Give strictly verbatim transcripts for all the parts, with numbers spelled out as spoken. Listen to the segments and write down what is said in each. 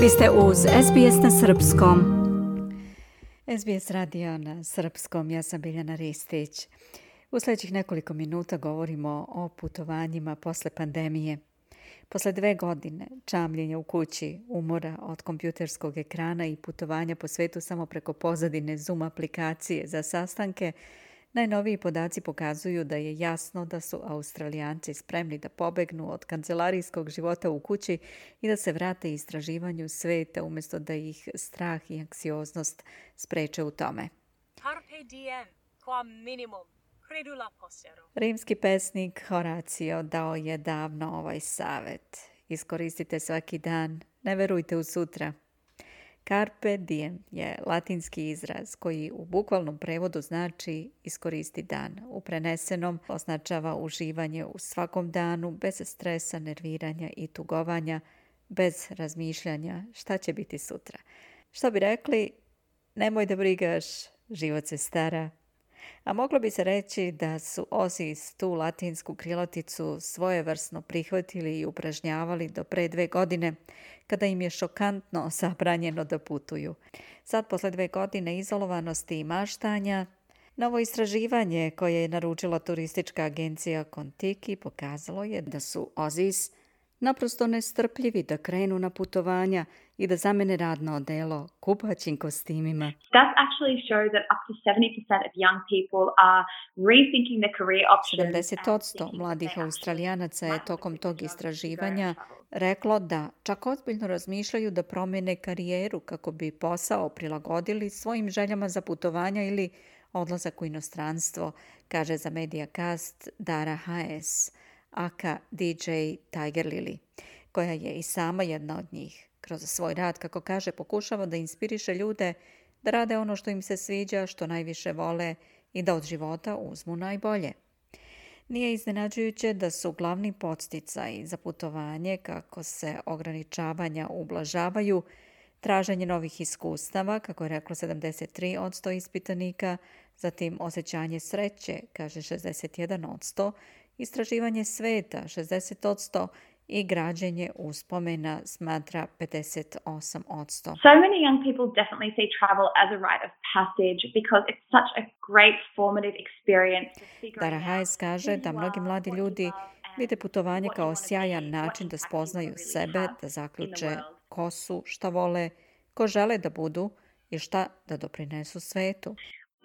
Vi ste uz S B S na srpskom. S B S radio na srpskom, ja sam Biljana Ristić. U sljedećih nekoliko minuta govorimo o putovanjima posle pandemije. Posle dve godine čamljenja u kući, umora od kompjuterskog ekrana i putovanja po svetu samo preko pozadine Zoom aplikacije za sastanke, najnoviji podaci pokazuju da je jasno da su Australijanci spremni da pobegnu od kancelarijskog života u kući i da se vrate istraživanju sveta umjesto da ih strah i anksioznost spreče u tome. Carpe diem, quam minimum, credula postero. Rimski pesnik Horacio dao je davno ovaj savjet. Iskoristite svaki dan, ne verujte u sutra. Carpe diem je latinski izraz koji u bukvalnom prevodu znači iskoristi dan. U prenesenom označava uživanje u svakom danu bez stresa, nerviranja i tugovanja, bez razmišljanja šta će biti sutra. Što bi rekli, nemoj da brigaš, život se stara. A moglo bi se reći da su Ozis tu latinsku kriloticu svojevrsno prihvatili i upražnjavali do pre dve godine, kada im je šokantno zabranjeno da putuju. Sad, posle dve godine izolovanosti i maštanja, novo istraživanje koje je naručila turistička agencija Contiki pokazalo je da su Ozis naprosto nestrpljivi da krenu na putovanja i da zamene radno odelo kupaćim kostimima. Stats actually show that up to seventy percent of young people are rethinking their career options. sedamdeset posto mladih Australijanaca je tokom tog istraživanja reklo da čak ozbiljno razmišljaju da promene karijeru kako bi posao prilagodili svojim željama za putovanja ili odlazak u inostranstvo, kaže za Mediacast Dara Hayes, aka D J Tiger Lily, koja je i sama jedna od njih. Kroz svoj rad, kako kaže, pokušava da inspiriše ljude da rade ono što im se sviđa, što najviše vole i da od života uzmu najbolje. Nije iznenađujuće da su glavni podsticaji za putovanje, kako se ograničavanja ublažavaju, traženje novih iskustava, kako je reklo sedamdeset tri posto ispitanika, zatim osjećanje sreće, kaže šezdeset jedan posto, istraživanje sveta, šezdeset posto, i građenje uspomena, smatra pedeset osam posto. So many young people definitely see travel as a rite of passage because it's such a great formative experience. Dara Hayes kaže da mnogi mladi ljudi vide putovanje kao sjajan način da spoznaju sebe, da zaključe ko su, šta vole, ko žele da budu i šta da doprinesu svetu.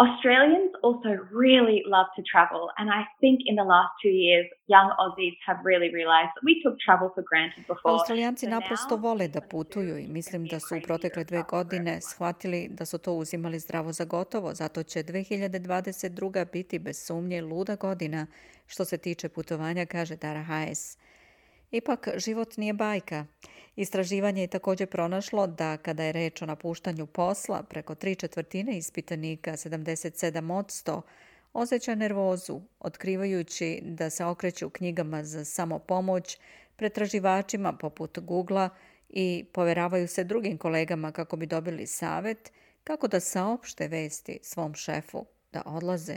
Australians also really love to travel, and I think in the last two years, young Aussies have really realized that we took travel for granted before. Australijanci naprosto vole da putuju i mislim da su u protekle dve godine shvatili da su to uzimali zdravo za gotovo, zato će dve hiljade dvadeset druga biti bez sumnje luda godina što se tiče putovanja, kaže Dara Hayes. Ipak, život nije bajka. Istraživanje je također pronašlo da kada je reč o napuštanju posla, preko tri četvrtine ispitanika, sedamdeset sedam posto, osjeća nervozu, otkrivajući da se okreću knjigama za samopomoć, pretraživačima poput Googlea i poveravaju se drugim kolegama kako bi dobili savjet kako da saopšte vesti svom šefu da odlaze.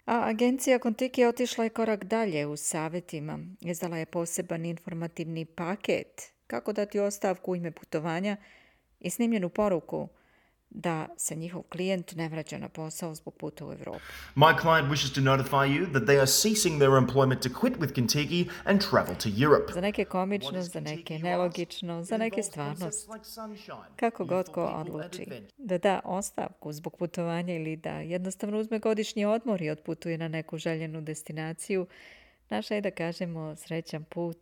A agencija Contiki je otišla i korak dalje u savjetima. Izdala je poseban informativni paket kako dati ostavku u ime putovanja i snimljenu poruku da se njihov klijent ne vraća na posao zbog puta u Evropu. My client wishes to notify you that they are ceasing their employment to quit with Contiki and travel to Europe. Za neke komično, za neke nelogično, za neke stvarnost. Kako god ko odluči da da ostavku zbog putovanja ili da jednostavno uzme godišnji odmor i otputuje na neku željenu destinaciju, naša je da kažemo srećan put.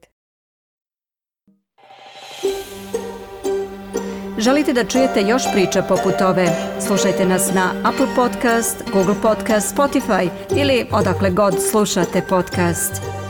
Želite da čujete još priča poput ove? Slušajte nas na Apple Podcast, Google Podcast, Spotify ili odakle god slušate podcast.